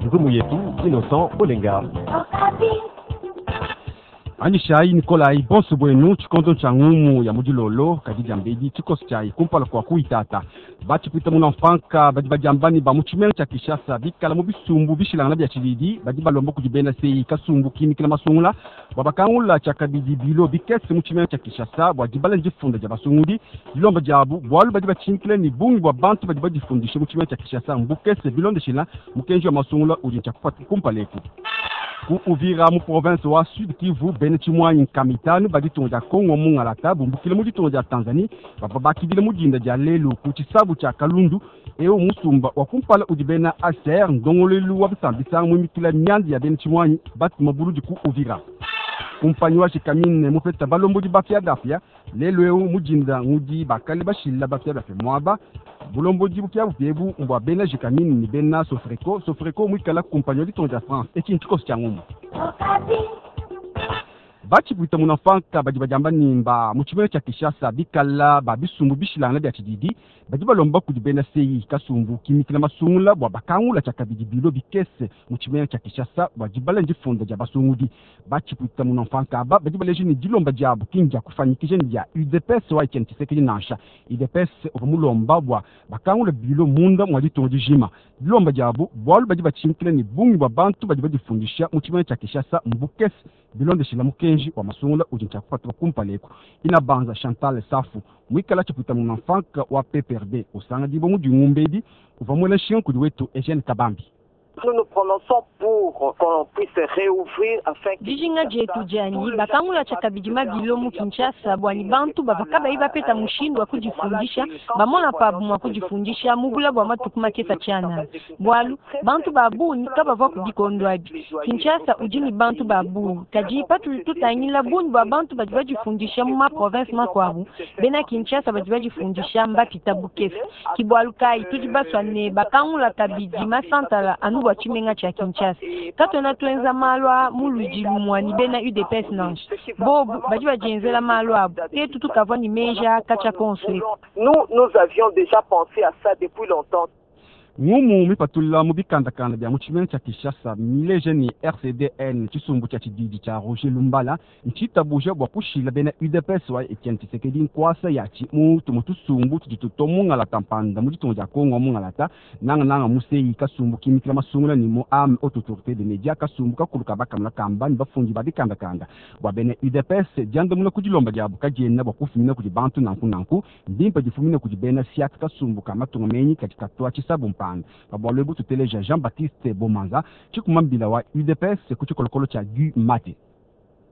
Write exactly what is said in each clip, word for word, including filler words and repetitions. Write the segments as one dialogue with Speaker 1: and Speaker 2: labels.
Speaker 1: Ngumu yetu Innocent Olenga.
Speaker 2: Anyishayi Nikolai bonso bwenu tshikondo tshia ngumu ya mudilolo kadi diambedi tshikoso tshiayi kumpala kua kuitata batshipwita muna mfanka badi badiamba ba mu tshimenga tshia Kinshasa bikala mu bisumbu bishilangana bia tshididi badi balomba kudi bena sei kasumbu kimikila masungula bua bakangula tshiakabidi bilo bikese mu tshimenga tshia Kinshasa bua dibala difunda dia basungudi dilomba diabu bualu badi batshinkila ne bungi bua bantu badi badifundisha mu tshimenga tshia Kinshasa mbukese bilondeshila mukenji wa masungula udi ntshia kumpala eku ku Uvira mu province wa Sud Kivu bena tshimwanyi nkama itanu ba ditunga dia Kongo mungalata bumbukile mu ditunga dia Tanzanie bavua bakidile mu dinda dia lelu ku tshisabu tshia Kalundu eu musumba wa kumpala udi bena A C R ndongoluelu wa bisambisanga muimikila mianda ya bena tshimwanyi batuma buludi ku Uvira. Kumpanyi wa Gécamines mupeta balombodi bapiabapia lelu eu mu dinda ngudi bakale bashila bapiabapia muaba bulombodi bupiabupia ebu mbua bena Gécamines ne bena Sofreco. Sofreco muikala kumpanyi wa ditunga dia France etshi ntshikoso tshia ngumu. Batshipwita muna mfanka badi badiamba nimba mu tshimenga tshia Kinshasa bikala ba bisumbu bishilangana bia tshididi badi balomba kudi bena sei kasumbu kimikila masungula bua bakangula tshiakabidi bilo bikese mu tshimenga tshia Kinshasa bua dibala difunda dia basungudi. Batshipwita muna mfanka aba badi baleja ne dilomba diabu ki ndia kufanyikisha ne dia U D P S wa Etienne Tshisekedi nansha. U D P S uvua mulomba bua bakangula bilo munda mua ditunga dijima. Dilomba diabu bualu badi batshinkila ne bungi bua bantu badi badifundisha mu tshimenga tshia Kinshasa mbukese bilondeshila mukenji wa masungula udi ntshia kupatuka kumpala eku. Ina banza Chantal Safu muikala tshipwita muna mfanka wa P P R D usanga dibo mu dingumbedi uvua muela nshinga kudi wetu Eugène Kabambi.
Speaker 3: Nous nous prononçons pour qu'on puisse réouvrir afin que
Speaker 4: Dijinga dietu dianyi bakangula tshiakabidi mabilo mu Kinshasa bua ni bantu bavua kabayi bapeta mushindu wa kudifundisha bamona pabu mua kudifundisha mu bula bua matuku makesa tshianana. Bualu bantu ba bungi kabavua ku bikondo abi. Kinshasa udi ne bantu ba bungi kadi patudi tutangila bungi bua bantu badi badifundisha mu ma province makuabu bena Kinshasa badi badifundisha mbapita bukese. Ki bualu kayi tudi basua ne bakangula kabidi masantala anu bua tshimenga tshia Kinshasa. Katuena tuenza malu a mu ludi lumua ni bena U D P S nansha. Bobu badi badienzela malu abu. Tetu tukavua ni meja katshia konso eku.
Speaker 3: Nous, nous avions déjà pensé à ça depuis longtemps.
Speaker 2: Ngumu mipatula mu bikandakanda bia mu tshimenga tshia Kinshasa mileje ni R C D N tshisumbu tshia tshididi tshia Roger Lumbala ntshitabuja bua kushila bena U D P S wa Etienne Tshisekedi nkuasa yatshi mu tumu tusumbu tudi tuto mungalata mpanda mu ditunga dia Kongo mungalata nanga nanga musei kasumbu kimikila masungula ni mu am haute autorité des médias kasumbu kakulu kabakamula kamba ni bafundi ba bikandakanda bua bena U D P S diandamuna ku dilomba diabu kadiena bua kufumina kudi bantu nanku nanku ndimpa difumina kudi bena siak kasumbu ka matunga menyi kadi katua tshisabu mpanda. Babwalo ebu tuteleja Jean-Baptiste Bomanza tshikumambila wa U D P S ku tshikolokolo tshia Guy Mate.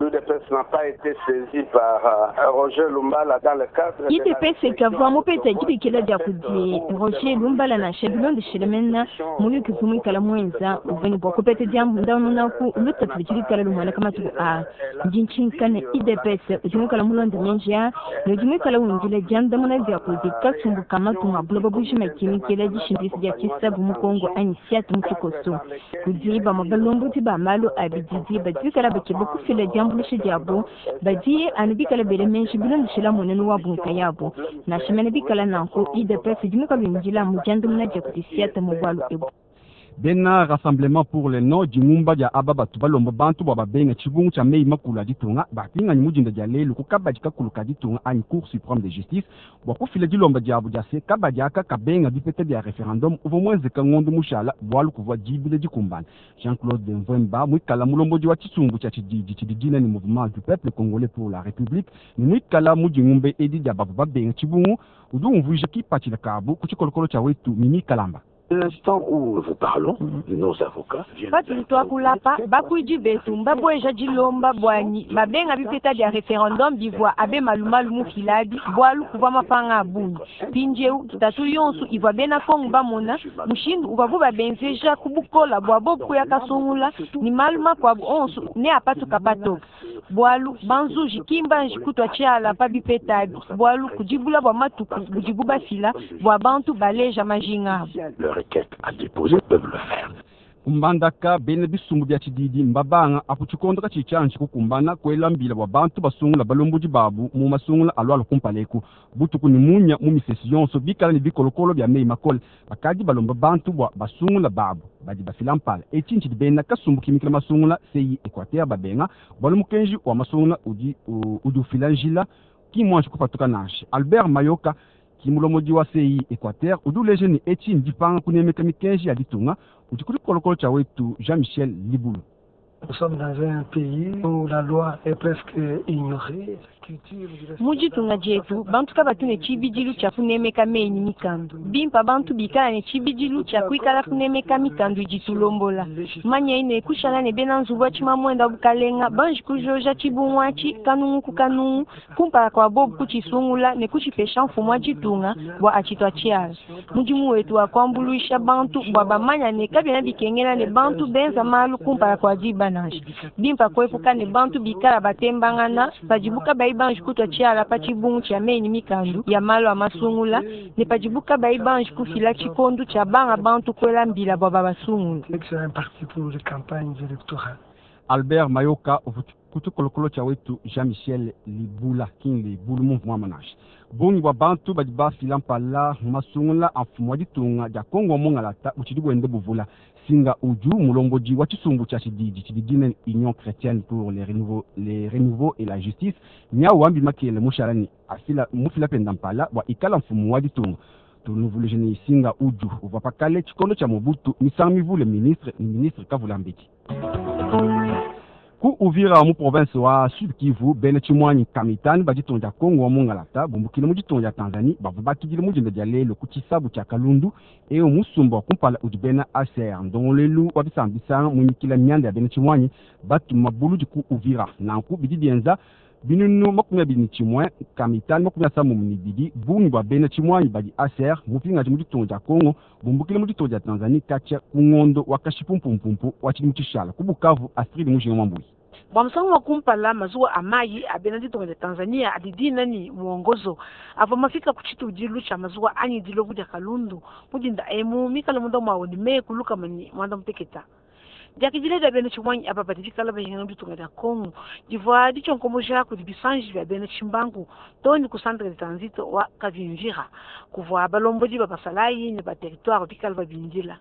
Speaker 5: L'U D P S n'a pas été saisi par, euh, Roger Lumbala dans le cadre de
Speaker 6: I D P S
Speaker 5: la
Speaker 6: kavua mupeta dibikila dia kudi Roger Lumbala na bilondeshile mena muyuki vumwikala mwenza uveni bua kupeta diandamuna ku lutatu ludi lumwana kamatuku a ndi ntshinkane I D P S udi muikala mulonde menja ne udi muikala windila diandamuna dia kudi kasumbu ka matunga buloba bujima kimikila dishindisi dia tshisabu mu Kongo anyi siatu mu tshikoso. Kudi bamue balombodi ba malu a bididi badi bikala bakeba kufila diambuluisha diabu badi anu bikala bele menshi bilondeshila munene wa bunka yabo. Nansha mene bikala nanku I D P S udi muikala windila mu diandamuna dia kudi siatu mu bualu ebu.
Speaker 2: Bena Rassemblement pour le Nord du Mumba dia aba batu balomba bantu bua babenga tshibungu tshia mei makulu a ditunga bapinganyi mu dinda dia lelu ku kabadi kakulu ka ditunga anyi Cour suprême de justice bua kufila dilomba diabu dia se kabadi aka kabenga bipeta bia referendum uvua muenzeka ngondo mushala bualu kuvua dibile dikumbana. Jean-Claude Mvemba muikala mulombodi wa tshisumbu tshia tshididi tshidi dina ni Mouvement du Peuple Congolais pour la République ne muikala mu dingumbe edi dia bavua babenga tshibungu udi umvuija kipatshila kabu ku tshikolokolo tshia wetu Mimi Kalamba.
Speaker 7: L'instant où nous vous parlons, nos avocats viennent
Speaker 4: Patu twakulapa, bakuidi betu, mbabweja dilomba bwanyi, babenga bipeta dia referendum bivua abe malumalu mu filabi, bwalu kuvua mapanga abungi. Mpindieu, tatu yonsu ivua bena Kongo bamona, mushindu uvua bu babenzeja kubukola bua bobu ya kasungula, ni malu makuabu onsu ne apatuka patoka. Bwalu banzuji kimbanji kutwa tshiala pa bipeta abi, bwalu kudibula bua matuku budibu bafila, bua bantu baleja majinga abu.
Speaker 7: Leur requête à déposer peuvent le faire.
Speaker 2: Kumbandaka bena bisumbu bya tshididi mbabanga apu tshikondo katshi tshianji kukumbana kuela mbila bua bantu basungula balombodi babu mu masungula alualu kumpala eku butuku ni munya mu misesi yonso bikala ne bikolokolo bya meyi makole bakadi balomba bantu bua basungula babu badi bafila mpala etshi ntshidi bena kasumbu kimikila masungula C E I Equateur babenga bualu mukenji wa masungula udi udi ufila njila ki mwanji kupatuka nansha. Albert Mayoka kimulomodi wa C E I Equateur udi uleja ne etshi ndipanga kunemeka mikenji ya ditunga udi kuli kolokolo tshia wetu Jean-Michel Libulu.
Speaker 8: Nous sommes dans un pays où la loi est presque ignorée.
Speaker 4: Mu ditunga dietu bantu kabatu ne tshibidilu tshia kunemeka meyi ne mikandu bimpa bantu bikala ne tshibidilu tshia kuikala kunemeka mikandu idi tulombola manya ine kushala ne bena nzubu atshimamwenda bukalenga banji kujoja tshibungu atshi kanungu ku kanungu kumpala kua bobu kutshisungula ne kutshipesha mfumu wa ditunga bua atshitua tshiala. Mudimu wetu wa kuambuluisha bantu bua bamanya ne kabiena bikengela ne bantu benza malu kumpala kua diba nansha bimpa kuepuka ne bantu bikala batembangana padibu kabayi banji kutua tshiala pa tshibungu tshia meyi ne mikandu ya malu a masungula ne padibu kabayi banji kufila tshikondu tshia banga bantu kuela mbila bua babasungula.
Speaker 2: Albert Mayoka kutukolokolo tshia wetu Jean-Michel Libula king Libulu mu mwamanasha bungi bua bantu badi bafila mpala masungula a mfumu wa ditunga dia Kongo wa mungalata butshidi buende buvula. Singa Uju mulombodi wa tshisumbu tshia tshididi tshidi dina Union chrétienne pour les renouveaux, les renouveaux et la justice nyau wambi makele mushala ni afila mufila penda mpala bua ikala mfumu wa ditunga. Tunuvuluije ni Singa Uju uvua pakale tshikondo tshia Mobutu misangu mivule ministre ni ministre Kavulambedi. Ku Uvira mu province wa Sud Kivu bena tshimwanyi kamitani ba ditunga dia Kongo wa mungalata bumbukile mu ditunga dia Tanzanie bavua bakidile mu dinda dia lelo ku tshisabu tshia Kalundu eyo musumba wa kumpala udi bena A C R ndongolelu wa bisamba bisanga munyikila mianda ya bena tshimwanyi batuma buludi ku Uvira nanku bidi bienza binunu makumi abidi ne tshimue kamitani makumi asambombo ne bidi bungi bua bena tshimwanyi badi A C R mupingaji mu ditunga dia Kongo bumbukile mu ditunga dia Tanzanie katshia ku ngondo wa kashipumpumpu wa tshidimu tshishala. Ku Bukavu, Astrid Mujinga Mwambui.
Speaker 9: Bua musangu wa kumpala mazuwa a mayi a bena ditunga dia Tanzania adi dina ni Mwongozo avua mafika ku tshitudilu tshia mazuwa anyi dilobu dia Kalundu mudinda emu mikala munda mwawo ni meku lukama ni mwanda muteketa. Diakidile dia bena tshimwanyi aba badi bikala bahingana mu ditunga dia Kongo divua ditshionkomoja kudi bisanji bia bena tshimbangu to ni ku centre de transit wa Kavimvira kuvua balombodi ba basalayi ne ba territoire bikala babindila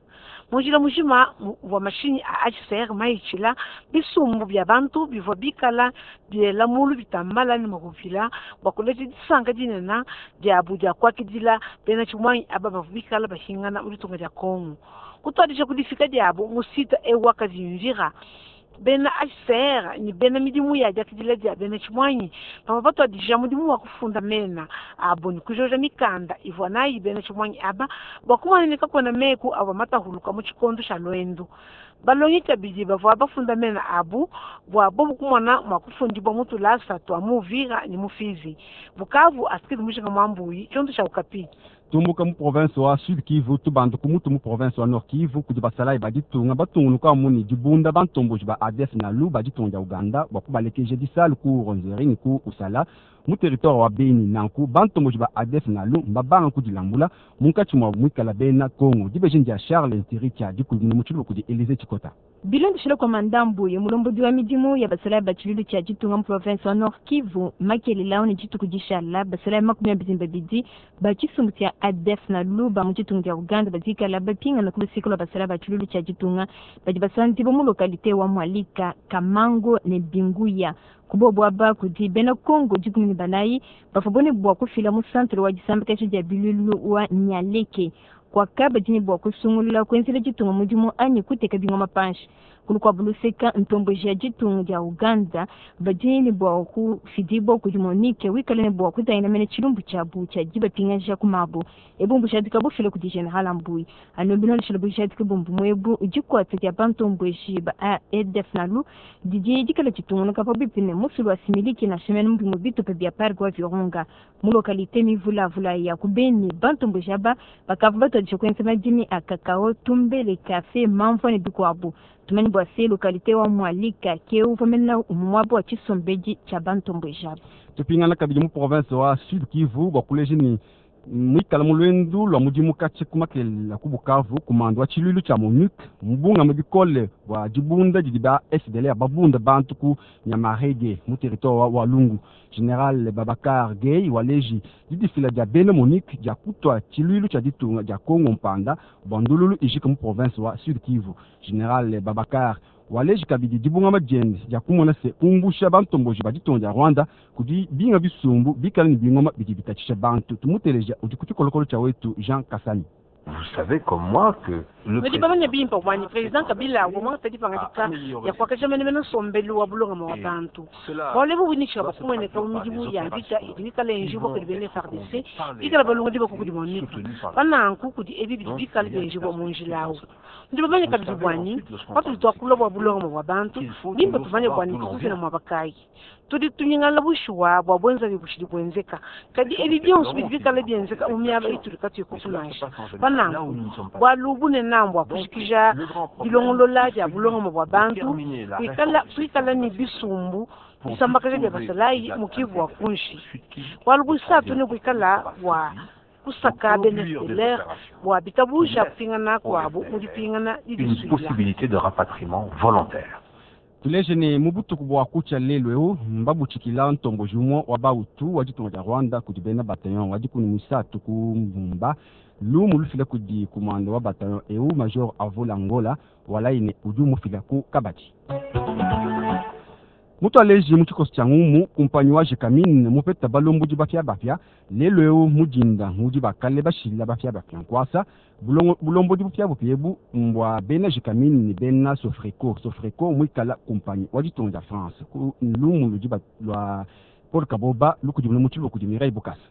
Speaker 9: munjila mujima wa mashinyi a H C R maitshila bisumbu bia bantu bivua bikala biela mulu bitambala ne makupila bua kuleja disanka dinene diabu dia kuakidila bena tshimwanyi aba bavua bikala bahingana mu ditunga dia Kongo. Kutuadija kudifika diabu mu site ewa Kavimvira bena H C R ni bena midimu ya diakidila dia bena tshimwanyi bavua batuadija mudimu wa kufunda mena abo ni kujoja mikanda ivua nayi bena tshimwanyi aba bua kumaneneka kuena meku avua matahuluka mu tshikondo tshia lwendu. Balongi kabidi bavua bafunda mena abu bua bobu kumona mua kufundibua mu tulasa tua mu Uvira ni mu Fizi. Bukavu, Astrid Mujinga Mwambuyi, tshiondo tshia Okapi.
Speaker 2: Tumbuka mu province wa Sud Kivu tubanda ku mutu mu province wa Nord Kivu kudi basalayi ba ditunga batungunuka muni dibunda bantomboji ba A D F Nalu ba ditunga dia Uganda bua kubalekeja disalu ku Rwenzori ni ku Usala mu territoire wa Beni. Nanku bantomboji ba A D F Nalu mbabanga kudilambula munkatshi mua muikala bena Kongo. Dibeji dia Charles Ntiri tshia dikudina mu tshiluba kudi Elize Tshikota.
Speaker 6: Bilondeshile kwa mandambu ya mulombodi wa midimu ya basalayi ba tshiluilu tshia ditunga mu province wa Nord Kivu makelela ne dituku dishala basalayi makumi abidi ne babidi ba tshisumbu tshia A D F Nalu ba mu ditunga dia Uganda badikala bapingana ku luseke lua basalayi ba tshiluilu tshia ditunga badi basandiba mu localité wa Mwalika, Kamango ne Binguya. Kubobu aba kudi bena Kongo dikumi ne banayi bavua bone bua kufila mu centre wa disambakasha dia biluilu wa Nyaleke kwaka badi ne bua kusungulula kuenzela ditunga mudimu anyi kuteka bingoma panshi. Kulukuabu luseka ntomboji ya ditunga dia Uganda badi ne bua kufidibua kudi Monique wikale ne bua kutangila mene tshilumbu tshiabu tshia dibapingaja ku mabu ebu mbujadika bufila kudi General Mbuyi anu bilondeshela bujadika bumbu muebu dikuata dia bantomboji ba A D F Nalu didi dikala ditungunuka pabuipi ne musulu wa Similiki na shemene mu bimue bitupa bia parc wa Virunga mu localité mivulavula ya ku Beni. Bantomboji aba bakavua batuadija kuenza madimi a kakao, tumbele, kafe, mamvua ne bikuabu. Tumani bua se localité wa Mwalika ke uvua mena muaba wa tshisombedi tshia bantomboji aba.
Speaker 2: Tupingana kabidi mu province wa Sud Kivu bua kuleja ni Mwikala mu lwendu lwa mudimu katshi kumakela ku Bukavu kumando wa tshiluilu tshia MONUC mubungama bikole bua dibunda didi ba F D L R babunda bantu ku Nyamarege mu territoire wa Walungu. General Babacar Gueye waleji didifila dia bena MONUC dia kutwa tshiluilu tshia ditunga dia Kongo Mpanda bua ndululu ijika mu province wa Sud Kivu. General Babacar waleji kabidi dibungama diende dia kumona se kumbusha bantomboji ba ditunga dia Rwanda kudi binga bisumbu bikala ne bingoma bidi bitatshisha bantu. Tumuteleja udi ku tshikolokolo tshia wetu Jean Kasani.
Speaker 7: Vous savez comme moi que le
Speaker 9: Nudi bamanye bimpe bwanyi président Kabila ngomwa tadi pangadika ya kuakaja menemene nsombelu wa bulongama wa bantu. Bualu ebu buinikisha bakumweneka mu midimu ya mvita idi mikale enjibwa kudi bena F A R D C, ikala balonga diboko kudi MONUC. Pananku kudi ebi bidi bikale bienjibwa mu njila awu. Nudi bamanye kabidi bwanyi, patudi tuakula bua bulongama bwa bantu, bimpe tumanye bwanyi tukufila muaba kayi. Tudi tunyingala bushuwa bua bwenzabi bushidi bwenzeka. Kadi ebi bionso bidi bikale bienzeka mu miaba itudi katuyi kukunansha. Pananku, bualu bunene mbua kushikija dilongolola dia bulongama bua bantu, kuikala, kuikala ne bisumbu bisambakaja bia basalayi mu Kivu wa kunshi. Bualu buisatu ne buikala bua kusaka bena F D L R bua bitabusha kupingana kuabu mu dipingana
Speaker 7: Une possibilité de rapatriement volontaire.
Speaker 2: Tuleje ne mubutuku bua kucha lelu eu mbabutshikila ntomboji umue wa bautu wa ditunga dia Rwanda kudi bena bataillon wa dikumi musatu ku Mbumba lumu lufila kudi kumando wa bataillon eu Major Avola Ngola walaine udi umufila ku Kabadi. Mutu aleji mu tshikoso tshia ngumu kumpanyi wa Gécamines mupeta balombodi bapia bapia lelu eu mudinda mudi bakale bashila bapia bapia nkwasa bulongo bulombodi bupia bupia ebu mbwa bena Gécamines ni bena Sofreco. Sofreco mwikala kumpanyi wa ditunga dia France ku lumu ludi ba lwa Paul Kaboba lukudi mu tshilu kudi Mireille Bukasa.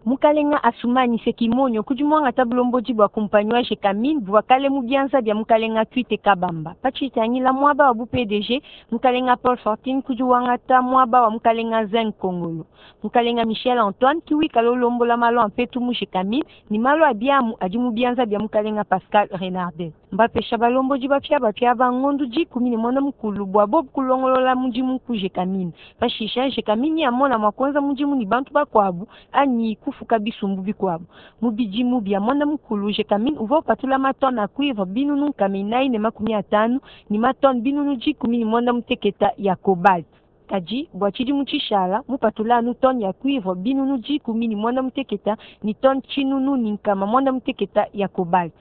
Speaker 4: Mukalenga Asumani Sekimonyo kudi mwangata bulombodi bua kumpanyi wa Gécamines bua kale mu bianza bia mukalenga Twite Kabamba. Pachitangila mwaba wa bu P D G, mukalenga Paul Fortin kudi wangata mwaba wa mukalenga Zen Kongolo. Mukalenga Michel Antoine kiwi kalolombola malo ampetu mu Gécamines ni malo abiamu adi mu bianza bia mukalenga Pascal Renardet. Mbapesha balombodi bapia bapia ba ngondu dikumi ne mwana mukulu bua bobu kulongolola mudimu ku Gécamines. Pashisha Gécamines ya mona mwa kwanza mudimu ni bantu bakwabu anyi kufuka bisumbu bikwabu. Mu bidimu bia mwana mukulu Gécamines uvua upatula matone a cuivre binunu nkama inayi ne makumi atanu ni matone binunu dikumi ne mwanda muteketa ya cobalt. Kadi bua tshidimu tshishala mupatula anu tone ya cuivre binunu dikumi ne mwanda muteketa ni tone tshinunu ni nkama mwanda muteketa ya cobalt.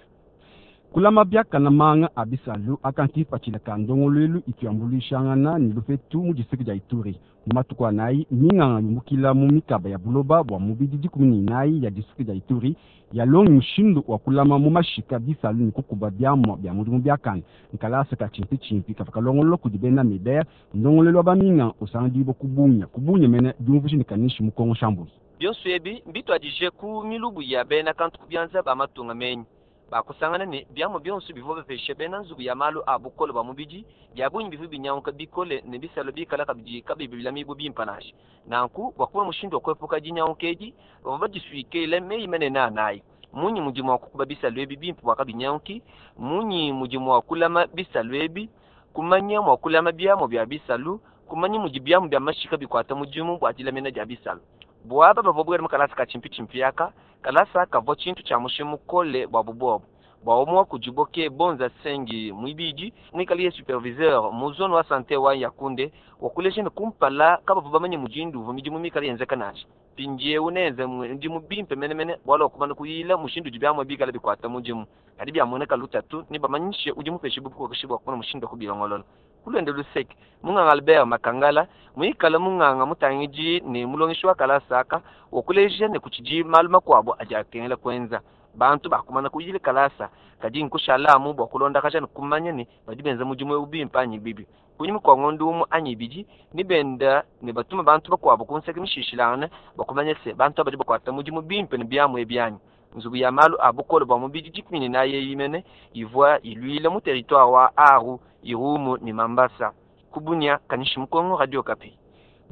Speaker 2: Kulama biakana manga abisalu akanti pachila kandongolwelu ituyambulishangana ni lufetu mu district dia Ituri. Mu matuku anayi minganga yumukila mu mikaba ya buloba bua mubidi dikumi ne inayi ya district dia Ituri yalongi mushindu wa kulama mu mashika bisalu ni kukuba biamua bia mudimu biakana. Nkalasa ka tshimpi tshimpi kava kalongolo kudi bena Meber ndongolelu wa baminga usanga kubunya kubunya mene diumvushi ni kanishi mu Kongo Shambuli.
Speaker 10: Bionso ebi mbituadije ku milubu ya bena kantu kubianza ba matunga menyi. Bakusangana ne biamu bionso bivua bapeshe bena nzubu ya malu a bukole bwa mubidi bya bungi bivua binyanguka bikole ne bisalo bikala kabidi kabibi bilamibu bimpa nansha. Nanku bua kuba mushindu wa kuepuka dinyanguka edi bavua badisuikile meyi manene anayi. Munyi mudi mua kukuba bisalo ebi bimpe bua kabinyanguki, munyi mudi mua kulama bisalo ebi, kumanya mua kulama biamu bia bisalu, kumanya mudi biamu bia mashika bikuata mudimu bua dilamina dia bisalu. Bua aba bavua bwela mu kalasa ka tshimpi yaka, kalasa kavua tshintu tshia mushinga mukole bua bubobo. Bua umue kudiboke bonza sengi muibidi, mwikale superviseur mu zone wa santé wa Yakunde, wakulesha ne kumpala kabavua bamanye mudindu uvua midimu mikale yenzeka nansha. Mpindieu nenze mudimu bimpe menemene bualu wakumana kuyila mushindu udi biamua bikale bikuata mudimu. Kadi biamueneka lutatu ne bamanyishe udi mupeshe bukokeshi bua kumona mushindu wa kubilongolola. Kulwende luseke munganga Albert Makangala mwikala munganga mutangidi ne mulongeshi wa kalasa wakuleja ne kuchidi malu makuabu adi akengela kwenza. Bantu bakumana kuyile kalasa kadi nkushalamu bua kulondakaja ne kumanya ne badi benza mudimu eu bimpe anyi bibi. Kunyima kua ngondo umue anyi ibidi ne benda ne batuma bantu bakuabu kunseka mishishilangana bakumanya se bantu abadi bakuata mudimu bimpe ne biamu ebi anyi. Nzubu ya malu a bukole bua mubidi dikumi ne nayi imene ivua iluila mu territoire wa Aru, Irumu ne Mambasa. Kubunya Kanishi Mukongo, Radio Okapi.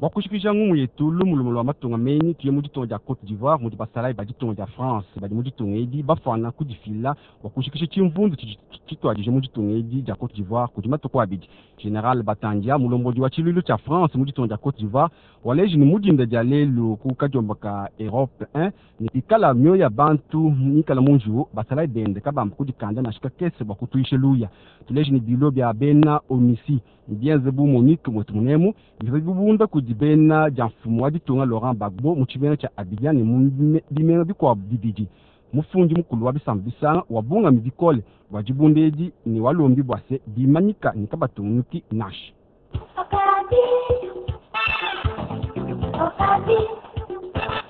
Speaker 2: Bua kushikisha ngumu yetu lumu lumu lua matunga menyi tuye mu ditunga dia Cote d'Ivoire mudi basalayi ba ditunga dia France badi mu ditunga edi bafana kudifila bua kushikisha tshimvundu tshituadije mu ditunga edi dia Cote d'Ivoire kudi matuku abidi. General Batandia mulombodi wa tshiluilu tshia France mu ditunga dia Cote d'Ivoire waleji ne mudinda dia lelu ku kadiomba ka Europe un ne pikala mioyo ya bantu mikala mu njiwu basalayi bende kabamba kudikanda nansha kakese bua kutuisha luya. Tuleji ne bilo bia bena ONUCI bienze bu Monique mwetu munemu bivua bibunda kudi bena dia mfumu wa ditunga Laurent Gbagbo mu tshimenga tshia Abidjan ne mu bimenga bikuabu bibidi. Mufundi mukulu wa bisamba bisanga wabungami bikole bua dibunda edi ne walombi bua se bimanyika ne kabatungunuki nansha.